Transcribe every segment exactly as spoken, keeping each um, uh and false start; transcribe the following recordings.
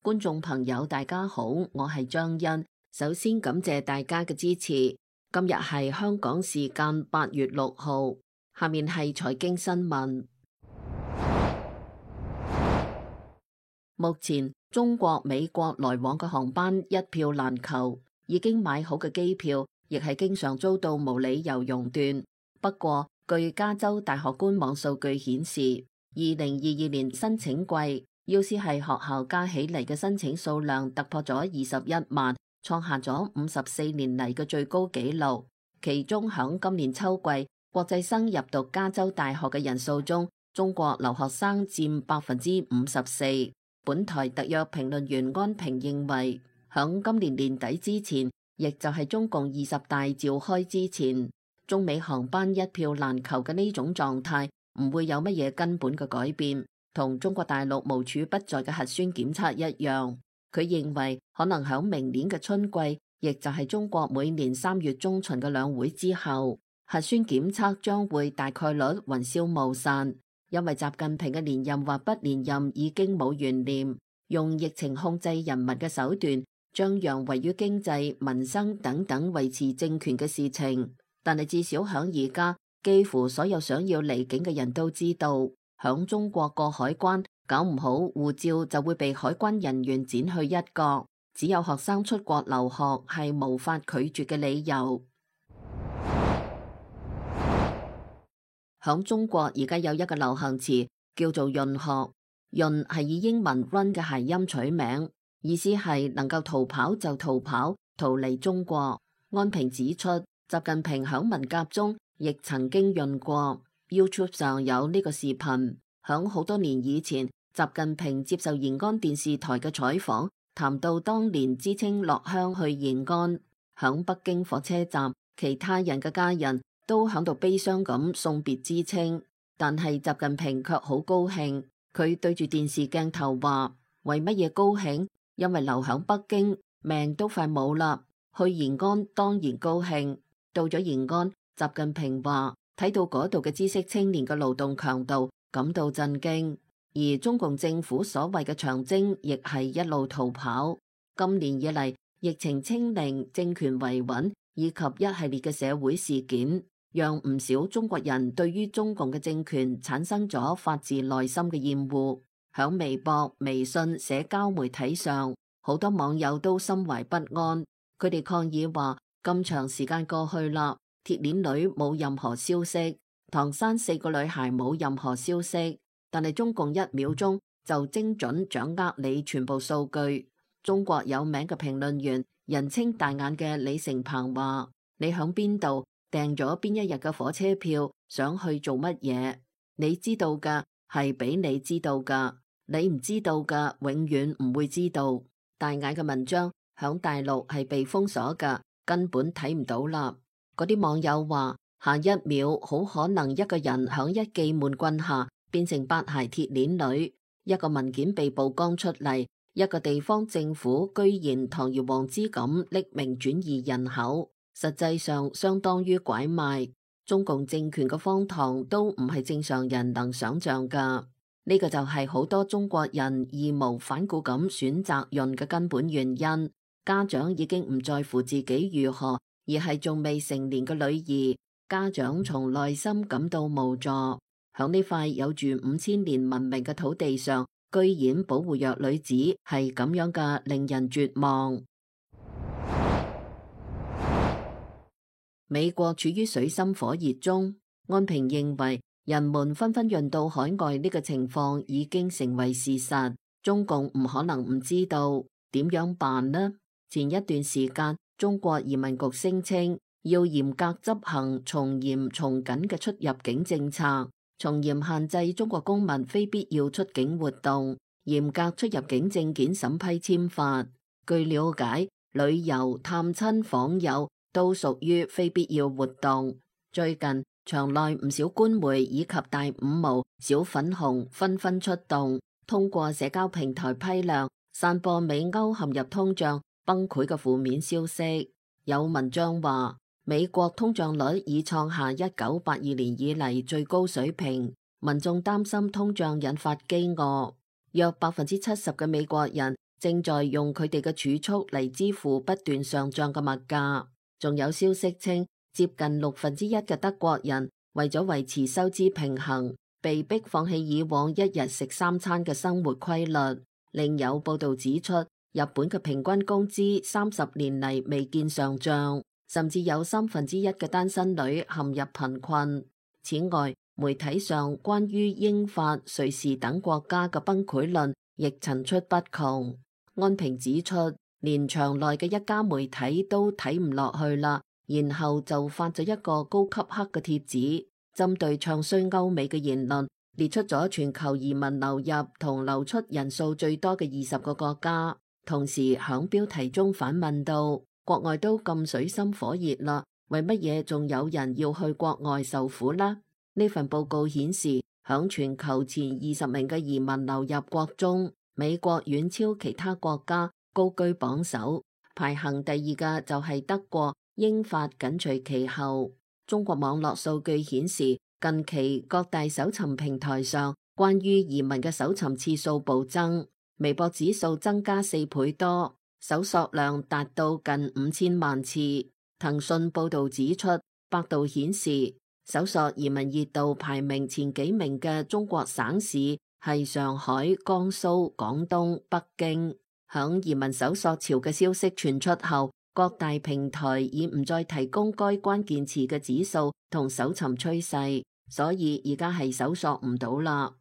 觀眾朋友大家好，我係張欣。首先感謝大家嘅支持。今日係香港時間八月六號，下面係財經新聞。目前中國美國來往嘅航班一票難求，已經買好嘅機票亦係經常遭到無理由熔斷。不過據加州大學官網數據顯示，二零二二年申請季 U C 系學校加起嚟嘅申請數量突破咗二十一萬，創下咗五十四年嚟嘅最高紀錄。其中響今年秋季國際生入讀加州大學嘅人數中，中國留學生佔百分之五十四。本台特約評論員安平認為，響今年年底之前，亦就係中共二十大召開之前，中美航班一票難求嘅呢種狀態唔會有乜嘢根本嘅改變，同中國大陸無處不在嘅核酸檢測一樣。佢認為可能響明年嘅春季，亦就係中國每年三月中旬嘅兩會之後，核酸檢測將會大概率雲消霧散。因為習近平嘅連任或不連任已經冇懸念，用疫情控制人民嘅手段，將讓位於經濟、民生等等維持政權嘅事情。但係至少響而家，幾乎所有想要離境嘅人都知道，響中國過海關搞唔好，護照就會被海關人員剪去一角。只有學生出國留學係無法拒絕嘅理由。響中國而家有一個流行詞叫做潤學，潤係以英文 run 嘅諧音取名，意思係能夠逃跑就逃跑，逃離中國。安平指出，習近平響文革中亦曾經潤過。YouTube 上有呢個視頻，響好多年以前，習近平接受延安電視台嘅採訪，談到當年知青落鄉去延安，響北京火車站，其他人嘅家人都響度悲傷咁送別知青，但係習近平卻好高興。佢對住電視鏡頭話：為乜嘢高興？因為留響北京命都快冇啦，去延安當然高興。到咗延安，習近平話睇到嗰度嘅知識青年嘅勞動強度，感到震驚。而中共政府所謂嘅長征，亦係一路逃跑。今年以嚟，疫情清零、政權維穩以及一系列嘅社會事件，讓唔少中國人對於中共嘅政權產生咗發自內心嘅厭惡。響微博、微信社交媒體上，好多網友都心懷不安。佢哋抗議話：咁長時間過去啦，鐵鏈女冇任何消息，唐山四個女孩冇任何消息，但係中共一秒鐘就精準掌握你全部數據。中國有名嘅評論員，人稱大眼嘅李成鵬話：你響邊度訂咗邊一日嘅火車票，想去做乜嘢？你知道㗎，係俾你知道㗎，你唔知道㗎，永遠唔會知道。大眼嘅文章響大陸係被封鎖㗎，根本睇唔到啦。嗰啲網友話：下一秒好可能一個人響一記悶棍下變成八鞋鐵鏈女，一個文件被曝光出嚟，一個地方政府居然堂而皇之咁匿名轉移人口，實際上相當於拐賣。中共政權嘅荒唐都唔係正常人能想象噶。呢個就係好多中國人義無反顧咁選擇潤嘅根本原因。家長已經唔在乎自己如何，而係仲未成年嘅女兒，家長從內心感到無助。響呢塊有住五千年文明嘅土地上，居然保護弱女子，係咁樣嘅，令人絕望。美國處於水深火熱中，安平認為人們紛紛潤到海外呢個情況已經成為事實，中共唔可能唔知道，點樣辦呢？前一段時間，中國移民局聲稱要嚴格執行從嚴從緊嘅出入境政策，從嚴限制中國公民非必要出境活動，嚴格出入境證件審批簽發。據了解，旅遊、探親、訪友都屬於非必要活動。最近場內唔少官媒以及大五毛、小粉紅紛紛出動，通過社交平台批量散播美歐陷入通脹崩潰嘅負面消息。有文章話，美國通脹率已創下一九八二年以嚟最高水平，民眾擔心通脹引發飢餓，約百分之七十嘅美國人正在用佢哋嘅儲蓄嚟支付不斷上漲嘅物價。仲有消息稱，接近六分之一嘅德國人為咗維持收支平衡，被迫放棄以往一日食三餐嘅生活規律。另有報道指出，日本嘅平均工資三十年嚟未見上漲，甚至有三分之一嘅單身女陷入貧困。此外，媒體上關於英法、瑞士等國家嘅崩潰論亦層出不窮。安平指出，連場內嘅一家媒體都睇唔落去啦，然後就發咗一個高級黑嘅帖子，針對唱衰歐美嘅言論，列出咗全球移民流入同流出人數最多嘅二十個國家，同時響標題中反問到：國外都咁水深火熱啦，為乜嘢仲有人要去國外受苦呢？呢份報告顯示，響全球前二十名嘅移民流入國中，美國遠超其他國家，高居榜首，排行第二嘅就係德國，英法緊隨其後。中國網絡數據顯示，近期各大搜尋平台上關於移民嘅搜尋次數暴增，微博指數增加四倍多，搜索量達到近五千萬次。騰訊報道指出，百度顯示搜索移民熱度排名前幾名嘅中國省市係上海、江蘇、廣東、北京。響移民搜索潮嘅消息傳出後，各大平台已唔再提供該關鍵詞嘅指數同搜尋趨勢，所以而家係搜索唔到啦。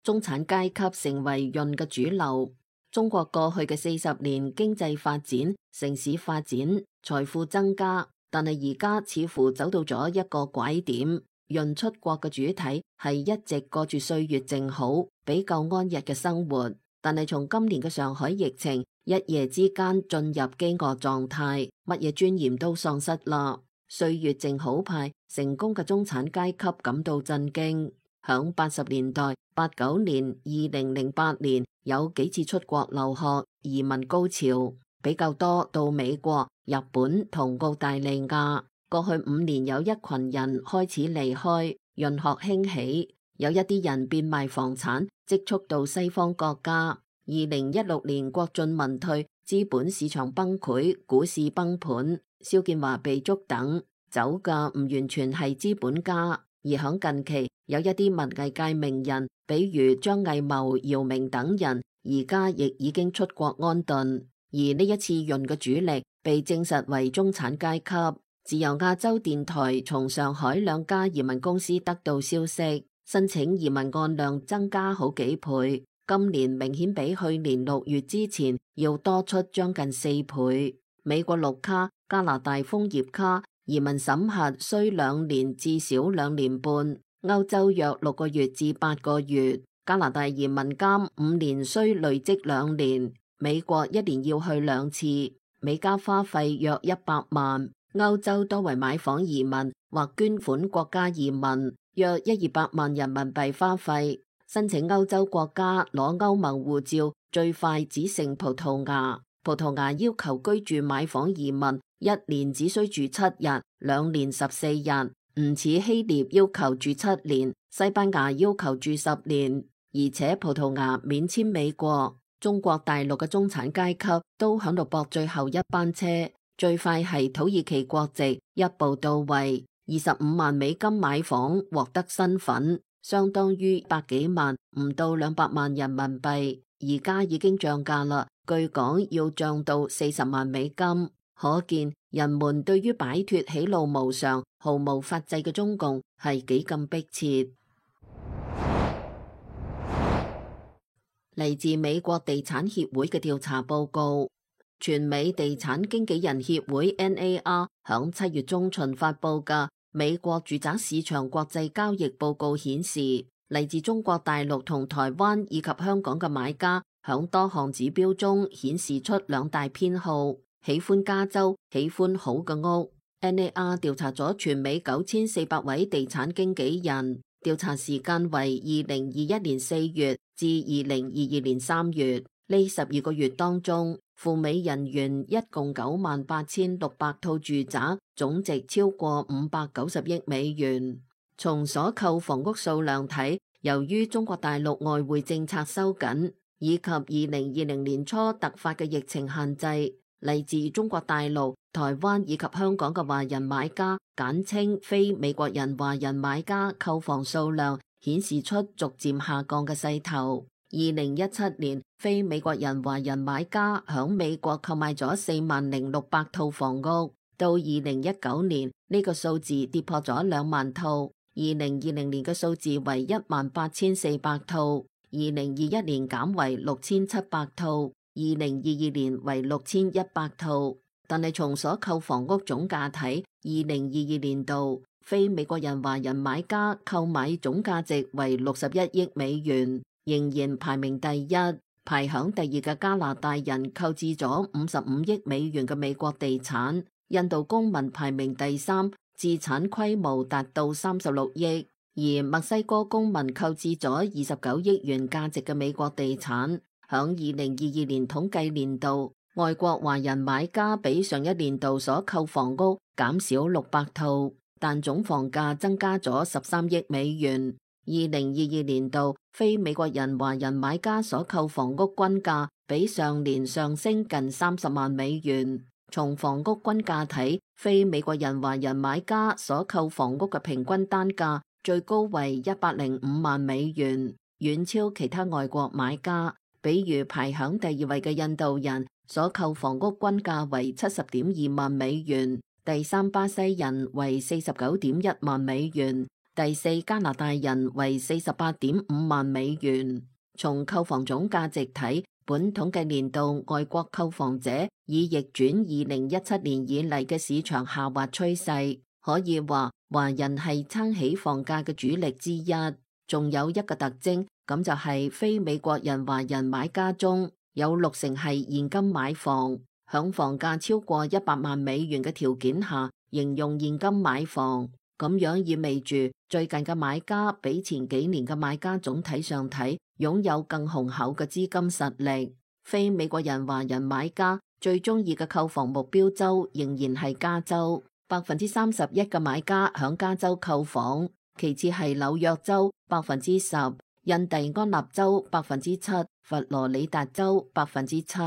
中產階級成為潤嘅主流。中國過去嘅四十年經濟發展、城市發展、財富增加，但係而家似乎走到咗一個拐點。潤出國嘅主體係一直過住歲月靜好、比較安逸嘅生活，但係從今年嘅上海疫情一夜之間進入飢餓狀態，乜嘢尊嚴都喪失啦。歲月靜好派成功嘅中產階級感到震驚。響八十年代、八九年、二零零八年有幾次出國留學移民高潮，比較多到美國、日本同澳大利亞。過去五年有一群人開始離開，潤學興起，有一啲人變賣房產積蓄到西方國家。二零一六年國進民退，資本市場崩潰，股市崩盤，肖建華被捉等，走嘅唔完全係資本家，而響近期有一啲文藝界名人，比如張藝謀、姚明等人，而家亦已經出國安頓。而呢一次潤嘅主力被證實為中產階級。自由亞洲電台從上海兩家移民公司得到消息，申請移民案量增加好幾倍，今年明顯比去年六月之前要多出將近四倍。美國綠卡、加拿大楓葉卡移民審核需兩年至少兩年半，歐洲約六個月至八個月，加拿大移民監五年需累積兩年，美國一年要去兩次，美加花費約一百萬。歐洲多為買房移民或捐款國家移民，約一二百萬人民幣花費。申請歐洲國家攞歐盟護照最快只剩葡萄牙，葡萄牙要求居住買房移民一年只需住七日，兩年十四日，唔似希臘要求住七年，西班牙要求住十年，而且葡萄牙免簽美國。中國大陸嘅中產階級都響度搏最後一班車。最快係土耳其國籍，一步到位，二十五萬美金買房獲得身份，相當於百幾萬，唔到兩百萬人民幣。而家已經漲價啦，據講要漲到四十萬美金。可見人們對於擺脫喜怒無常、毫無法制嘅中共係幾咁迫切。嚟自美國地產協會嘅調查報告。全美地產經紀人協會 N A R 響七月中旬發佈嘅美國住宅市場國際交易報告顯示，嚟自中國大陸同台灣以及香港嘅買家響多項指標中顯示出兩大偏好，喜歡加州，喜歡好嘅屋。N A R 調查咗全美九千四百位地產經紀人，調查時間為二零二一年四月至二零二二年三月，呢十二個月當中，赴美人員一共九萬八千六百套住宅，總值超過五百九十億美元。從所購房屋數量睇，由於中國大陸外匯政策收緊，以及二零二零年初突發嘅疫情限制，嚟自中國大陸、台灣以及香港嘅華人買家，簡稱非美國人華人買家購房數量顯示出逐漸下降嘅勢頭。二零一七年，非美國人華人買家響美國購買咗四萬零六百套房屋，到二零一九年呢個數字跌破咗兩萬套，二零二零年嘅數字為一萬八千四百套，二零二一年減為六千七百套，二零二二年為六千一百套。但係從所購房屋總價睇，二零二二年度非美國人華人買家購買總價值為六十一億美元，仍然排名第一。排響第二嘅加拿大人購置咗五十五億美元嘅美國地產，印度公民排名第三，資產規模達到三十六億，而墨西哥公民購置咗二十九億元價值嘅美國地產。響二零二二年統計年度，外國華人買家比上一年度所購房屋減少六百套，但總房價增加咗十三億美元。二零二二年度非美國人華人買家所購房屋均價比上年上升近三十萬美元。從房屋均價睇，非美國人華人買家所購房屋嘅平均單價最高為一百零五萬美元，遠超其他外國買家。比如排響第二位嘅印度人所購房屋均價為七十點二萬美元，第三巴西人為四十九點一萬美元，第四加拿大人為四十八點五萬美元。從購房總價值睇，本統計年度外國購房者已逆轉二零一七年以嚟嘅市場下滑趨勢，可以話華人係撐起房價嘅主力之一。仲有一個特徵，咁就係非美國人華人買家中有六成係現金買房，響房價超過一百萬美元嘅條件下，形容現金買房，咁樣意味住最近嘅買家比前幾年嘅買家總體上睇擁有更雄厚嘅資金實力。非美國人華人買家最中意嘅購房目標州仍然係加州，百分之三十一嘅買家響加州購房。其次係紐約州百分之十，印第安納州百分之七，佛羅里達州百分之七。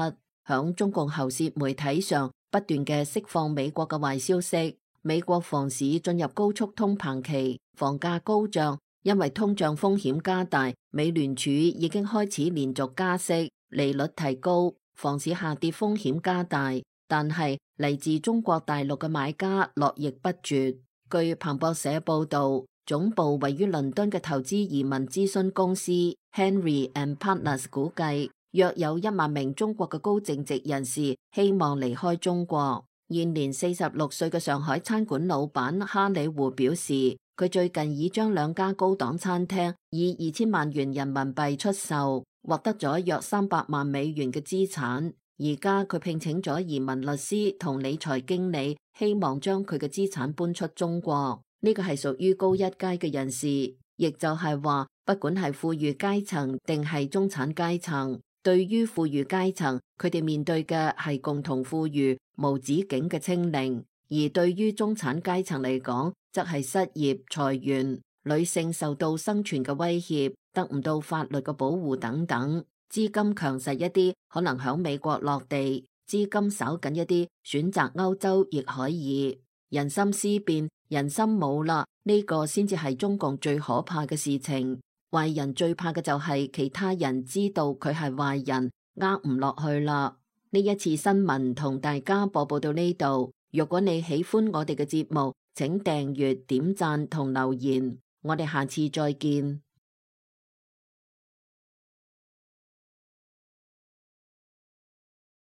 響中共喉舌媒體上不斷嘅釋放美國嘅壞消息，美國房市進入高速通膨期，房價高漲，因為通脹風險加大，美聯儲已經開始連續加息，利率提高，房市下跌風險加大。但係嚟自中國大陸嘅買家絡繹不絕。據彭博社報道，總部位於倫敦嘅投資移民諮詢公司 Henry and Partners 估計，約有一萬名中國嘅高淨值人士希望離開中國。現年四十六歲嘅上海餐館老闆哈里胡表示，佢最近已將兩家高檔餐廳以二千萬元人民幣出售，獲得咗約三百萬美元嘅資產。而家佢聘請咗移民律師同理財經理，希望將佢嘅資產搬出中國。呢個係屬於高一階嘅人士，亦就係話，不管係富裕階層定係中產階層，對於富裕階層，佢哋面對嘅係共同富裕無止境嘅清零；而對於中產階層嚟講，則係失業、裁員、女性受到生存嘅威脅、得唔到法律嘅保護等等。資金強勢一啲，可能響美國落地；資金稍緊一啲，選擇歐洲亦可以。人心思變，人心冇啦，呢個先至係中共最可怕嘅事情。壞人最怕嘅就係其他人知道佢係壞人，呃唔落去啦。呢一次新聞同大家播報到呢度。如果你喜歡我哋嘅節目，請訂閱、點讚同留言。我哋下次再見。